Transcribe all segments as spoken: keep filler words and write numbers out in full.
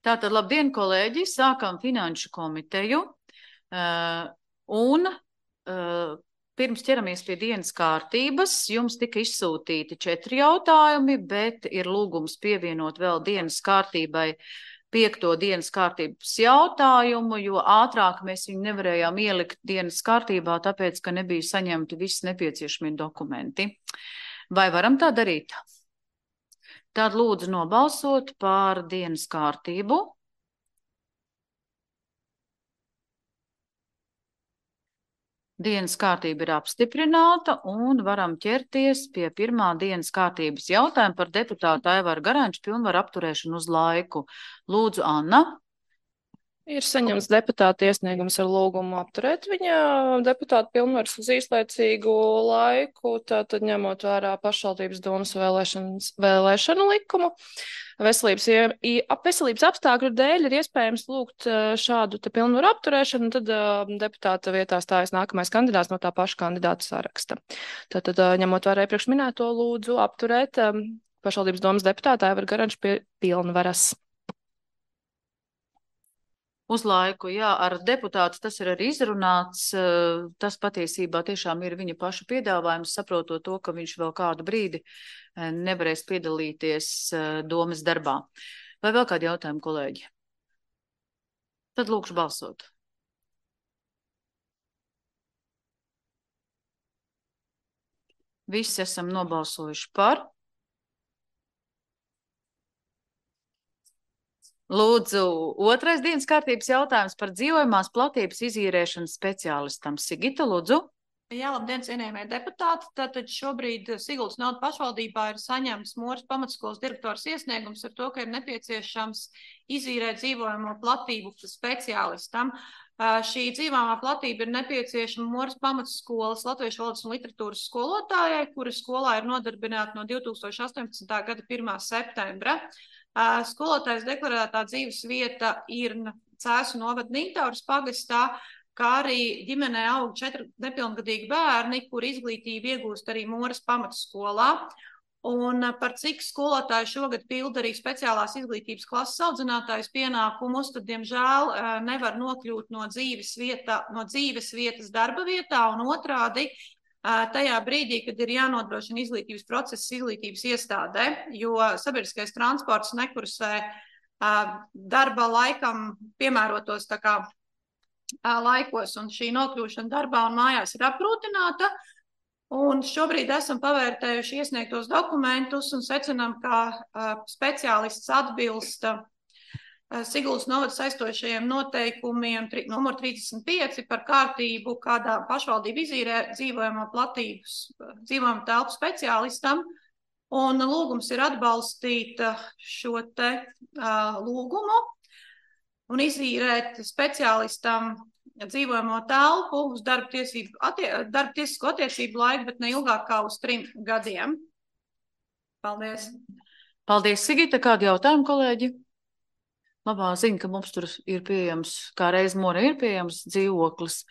Tātad, labdien, kolēģi, sākam finanšu komiteju, uh, un uh, pirms ķeramies pie dienas kārtības, jums tika izsūtīti četri jautājumi, bet ir lūgums pievienot vēl dienas kārtībai piekto dienas kārtības jautājumu, jo ātrāk mēs viņu nevarējām ielikt dienas kārtībā, tāpēc, ka nebija saņemti visi nepieciešamie dokumenti. Vai varam tā darīt? Tad lūdzu nobalsot par dienas kārtību. Dienas kārtība ir apstiprināta un varam ķerties pie pirmā dienas kārtības jautājuma par deputātu Aivaru Garanču pilnvaru apturēšanu uz laiku. Lūdzu, Anna. Ir saņemts deputāta iesniegums ar lūgumu apturēt viņa deputāta pilnvaras uz īslaicīgu laiku, tātad ņemot vērā pašvaldības domas vēlēšanu likumu. Veselības, veselības apstākļu dēļ ir iespējams lūgt šādu te pilnvaru apturēšanu, tad deputāta vietā stājas nākamais kandidāts no tā paša kandidāta saraksta. Tātad, ņemot vērā iepriekš minēto, lūdzu apturēt pašvaldības domas deputāta Aivaru Garanču pie pilnvaras. Uz laiku, jā, ar deputātu tas ir arī izrunāts, tas patiesībā tiešām ir viņa paša piedāvājums, saprotot to, ka viņš vēl kādu brīdi nevarēs piedalīties domas darbā. Vai vēl kādi jautājumi, kolēģi? Tad lūkšu balsot. Visi esam nobalsojuši par. Lūdzu, otrais dienas kārtības jautājums par dzīvojamās platības izīrēšanas speciālistam. Sigita, lūdzu. Jā, labdien, cienījamie deputāti. Tātad šobrīd Siguldas naudu pašvaldībā ir saņemts Moras pamatskolas direktors iesniegums ar to, ka ir nepieciešams izīrēt dzīvojamo platību speciālistam. Šī dzīvojamā platība ir nepieciešama Moras pamatskolas latviešu valodas un literatūras skolotājai, kura skolā ir nodarbināta no divi tūkstoši astoņpadsmitā gada pirmā septembra. Skolotājs deklarētā dzīves vieta ir Cēsu novada Nītauras pagastā, kā arī ģimenē aug četri nepilngadīgi bērni, kur izglītību iegūst arī Moras pamatskolā. Un par cik skolotāji šogad pilda arī speciālās izglītības klases audzinātājas pienākumus, tad, diemžēl, nevar nokļūt no dzīves, vieta, no dzīves vietas darba vietā un otrādi tajā brīdī, kad ir jānodrošina izglītības process izglītības iestādē, jo sabiedriskais transports nekursē darba laikam piemērotos tā kā laikos, un šī nokļūšana darbā un mājās ir apgrūtināta. Un šobrīd esam pavērtējuši iesniegtos dokumentus un secinām, ka speciālists atbilst Siguldas novada saistošajiem noteikumiem numur trīsdesmit pieci par kārtību, kādā pašvaldība izīrē dzīvojamo platības, dzīvojamo telpu speciālistam. Un lūgums ir atbalstīt šo te uh, lūgumu un izīrēt speciālistam dzīvojamo telpu uz darba tiesību, attie, darba tiesisko attiecību laiku, bet ne ilgāk kā uz trim gadiem. Paldies. Paldies, Sigita. Kādi jautājumi, kolēģi? Labā ziņa, ka mums tur ir pieejams, kā reiz Mora ir pieejams dzīvoklis.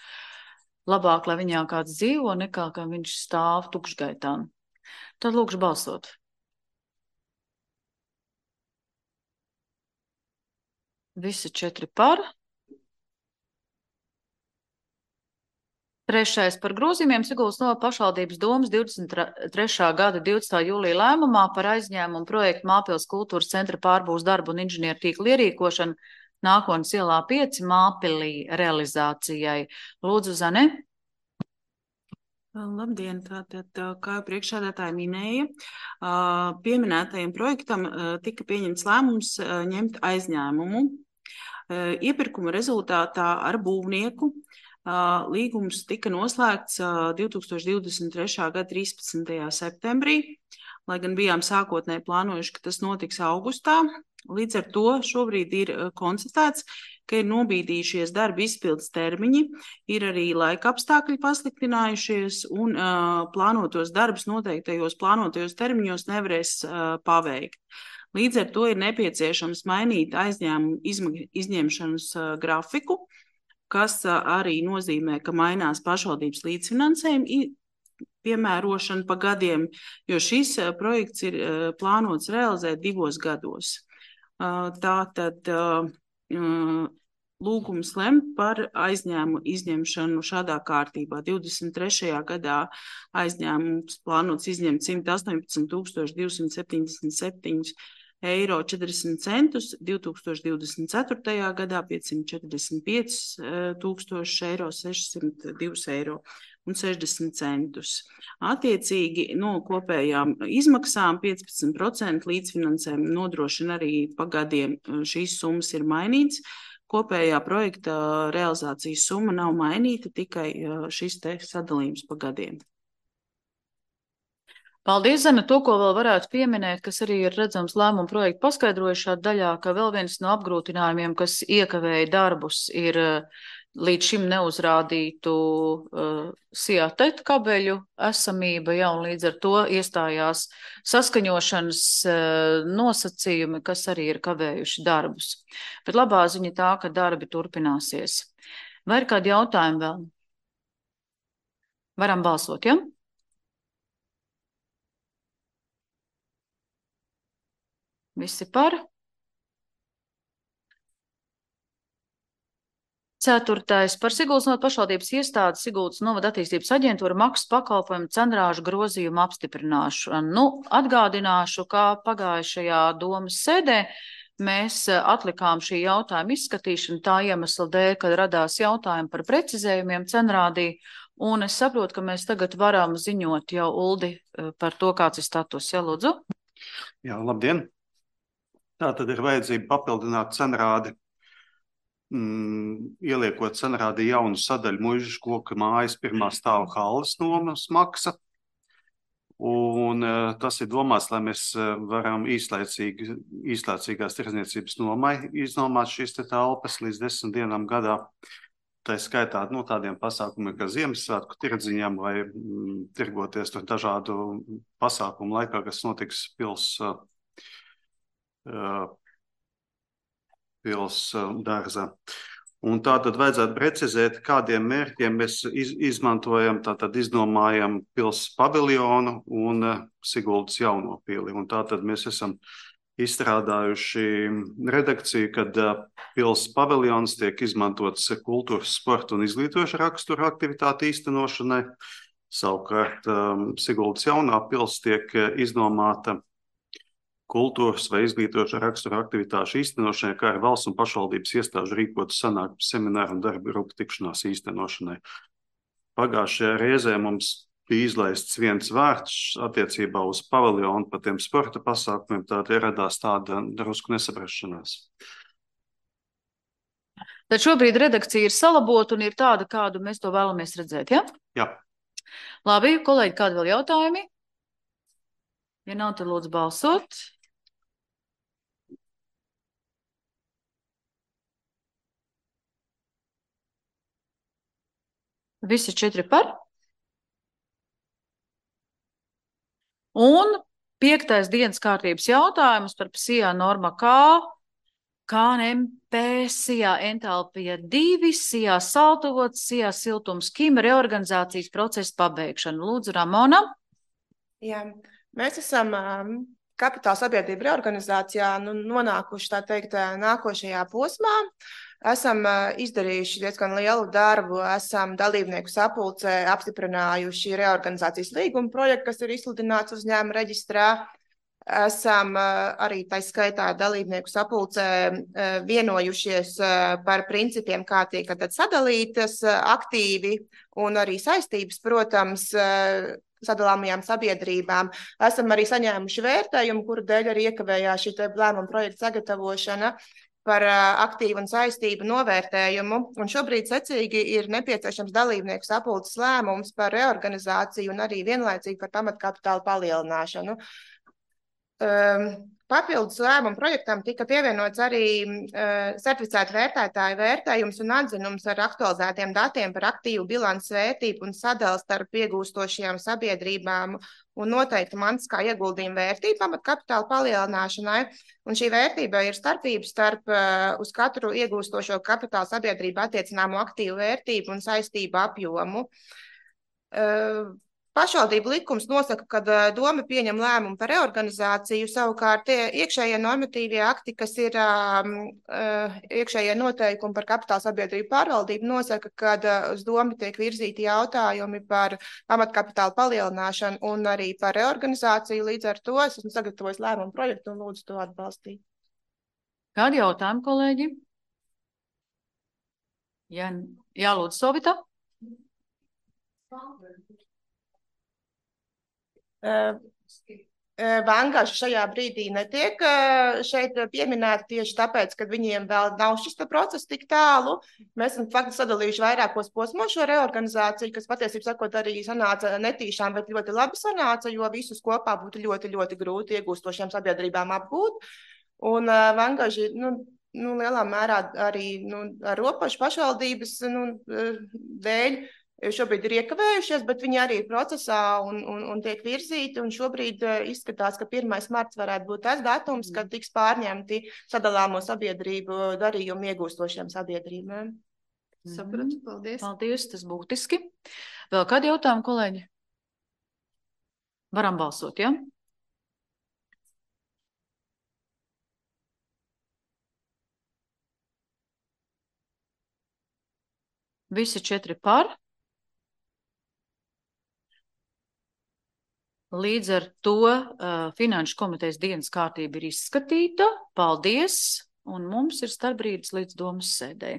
Labāk, lai viņā kāds dzīvo, nekā ka viņš stāv tukšgaitā. Tad lūkšu balsot. Visi četri par. Trešais par grozījumiem Siguldas novada pašvaldības domas divdesmit trešā gada divdesmitā jūlija lēmumā par aizņēmumu projektu Māpils kultūras centra pārbūves darbu un inženieru tīklu ierīkošanu Nākotnes ielā pieci Māpilī realizācijai. Lūdzu, Zane. Labdien, tātad, kā priekšsēdētāja minēja, pieminētajam projektam tika pieņemts lēmums ņemt aizņēmumu. Iepirkuma rezultātā ar būvnieku līgums tika noslēgts divi tūkstoši divdesmit trešā gada trīspadsmitajā septembrī, lai gan bijām sākotnēji plānojuši, ka tas notiks augustā. Līdz ar to šobrīd ir konstatēts, ka ir nobīdījušies darba izpildes termiņi, ir arī laika apstākļi pasliktinājušies un uh, plānotos darbus noteiktajos plānotajos termiņos nevarēs uh, paveikt. Līdz ar to ir nepieciešams mainīt aizņēmumu izņemšanas uh, grafiku, kas arī nozīmē, ka mainās pašvaldības līdzfinansējuma piemērošana pa gadiem, jo šis projekts ir plānots realizēt divos gados. Tātad lūgums lemt par aizņēmumu izņemšanu šādā kārtībā. divdesmit trešajā gadā aizņēmums plānots izņemt simt astoņpadsmit tūkstoši divsimt septiņdesmit septiņi eiro četrdesmit centus, divs tūkstoši divdesmit ceturtajā gadā piecsimt četrdesmit pieci tūkstoši eiro sešsimt divi eiro un sešdesmit centus. Attiecīgi no kopējām izmaksām piecpadsmit procenti līdzfinansējumu nodrošina arī pagadiem. Šīs summas ir mainītas. Kopējā projekta realizācijas summa nav mainīta, tikai šis te sadalījums pagadiem. Paldies, Zana. To, ko vēl varētu pieminēt, kas arī ir redzams lēmumu projektu paskaidrojušā daļā, ka vēl viens no apgrūtinājumiem, kas iekavēja darbus, ir līdz šim neuzrādītu uh, SIATET kabeļu esamība, ja, un līdz ar to iestājās saskaņošanas uh, nosacījumi, kas arī ir kavējuši darbus. Bet labā ziņa tā, ka darbi turpināsies. Vai ir kādi jautājumi vēl? Varam balsot, ja? Visi par? Ceturtais. Par Siguldas novada pašvaldības iestādi Siguldas novada attīstības aģentūra maksas pakalpojumu cenrāžu grozījumu apstiprināšanu. Nu, atgādināšu, kā pagājušajā domas sēdē mēs atlikām šī jautājuma izskatīšanu tā iemesla dēļ, kad radās jautājumi par precizējumiem cenrādī, un es saprotu, ka mēs tagad varam ziņot jau Uldi par to, kāds ir status. Ja, lūdzu? Jā, labdien! Tā tad ir vajadzība papildināt cenrādi, mm, ieliekot cenrādi jaunu sadaļu Muižas koka mājas pirmā stāva halles nomas maksa. Un uh, tas ir domāts, lai mēs uh, varam īslaicīgi, īslaicīgās tirdzniecības nomai iznomāt šīs te telpas līdz desmit dienām gadā. Tā skaitā no tādiem pasākumiem, kā Ziemassvētku tirdziņām vai mm, tirgoties tur dažādu pasākumu laikā, kas notiks pils uh, pils dārzā. Un tā tad vajadzētu precizēt, kādiem mērķiem mēs iz, izmantojam, tātad izdomājam pils paviljonu un uh, Siguldas jauno pili. Un tā tad mēs esam izstrādājuši redakciju, kad uh, pils paviljons tiek izmantots kultūras, sporta un izglītoša rakstura aktivitāti īstenošanai. Savukārt um, Siguldas jaunā pils tiek izdomāta kultūras vai izglītoša rakstura aktivitāšu īstenošanai, kā arī valsts un pašvaldības iestāžu rīkotu sanāksmu, semināru un darba grupu tikšanās īstenošanai. Pagājušajā reizē mums bija izlaists viens vārds attiecībā uz paviljonu par tiem sporta pasākumiem, tātad ieradās tāda drusku nesaprašanās. Tad šobrīd redakcija ir salabota un ir tāda, kādu mēs to vēlamies redzēt, ja? Jā. Labi, kolēģi, kādi vēl jautājumi? Ja nav, tad lūdzu balsot. Visi četri par. Un piektais dienas kārtības jautājums par SIA norma K, K N M P, SIA entalpija divi, SIA saltovots, SIA siltums Kim, reorganizācijas procesa pabeigšana. Lūdzu, Ramona. Jā, mēs esam um, kapitāla sabiedrība reorganizācijā nu, nonākuši, tā teikt, nākošajā posmā. Esam uh, izdarījuši diezgan lielu darbu, esam dalībnieku sapulcē apstiprinājuši reorganizācijas līguma projektu, kas ir izsludināts uzņēmuma reģistrā. Esam uh, arī tā skaitā dalībnieku sapulcē uh, vienojušies uh, par principiem, kā tiek tad sadalītas uh, aktīvi un arī saistības, protams, uh, sadalāmajām sabiedrībām. Esam arī saņēmuši vērtējumu, kuru dēļ arī iekavējās šī lēmuma projekta sagatavošana par aktīvu un saistību novērtējumu, un šobrīd secīgi ir nepieciešams dalībnieku sapulces lēmums par reorganizāciju un arī vienlaicīgi par pamatkapitāla palielināšanu. Um, Papildus lēmumu projektam tika pievienots arī uh, certificēta vērtētāja vērtējums un atzinums ar aktualizētiem datiem par aktīvu bilances vērtību un sadali starp iegūstošajām sabiedrībām un noteikti mantiskā ieguldījuma vērtība pamatkapitāla palielināšanai. Un šī vērtība ir starpība starp uh, uz katru iegūstošo kapitāla sabiedrību attiecināmo aktīvu vērtību un saistību apjomu. Uh, pašvaldību likums nosaka, ka uh, doma pieņem lēmumu par reorganizāciju, savukārt tie iekšējie normatīvie akti, kas ir um, uh, iekšējie noteikumi par kapitāla sabiedrību pārvaldību, nosaka, ka uh, uz domu tiek virzīti jautājumi par pamatkapitāla palielināšanu un arī par reorganizāciju. Līdz ar to es esmu sagatavojis lēmumu projektu un lūdzu to atbalstīt. Kādi jautājumi, kolēģi? Jā, jā lūdzu, Sovita. Vangaži šajā brīdī netiek šeit pieminēti tieši tāpēc, ka viņiem vēl nav šis process tik tālu. Mēs esam faktiski sadalījuši vairākos posmos šo reorganizāciju, kas patiesībā sakot arī sanāca netīšām, bet ļoti labi sanāca, jo visus kopā būtu ļoti, ļoti grūti iegūstošiem sabiedrībām apgūt. Un vangaži, nu, nu, lielā mērā arī nu, ar robežu pašvaldības nu, dēļ šobrīd ir iekavējušies, bet viņi arī ir procesā un, un, un tiek virzīti. Un šobrīd izskatās, ka pirmais marts varētu būt tas datums, kad tiks pārņemti sadalāmo sabiedrību darījumu iegūstošiem sabiedrībām. Mm. Sapratu, paldies. Paldies, tas būtiski. Vēl kādi jautājumi, kolēģi? Varam balsot, ja? Visi četri par. Līdz ar to uh, Finanšu komitejas dienas kārtība ir izskatīta. Paldies! Un mums ir starpbrīdis līdz domas sēdē.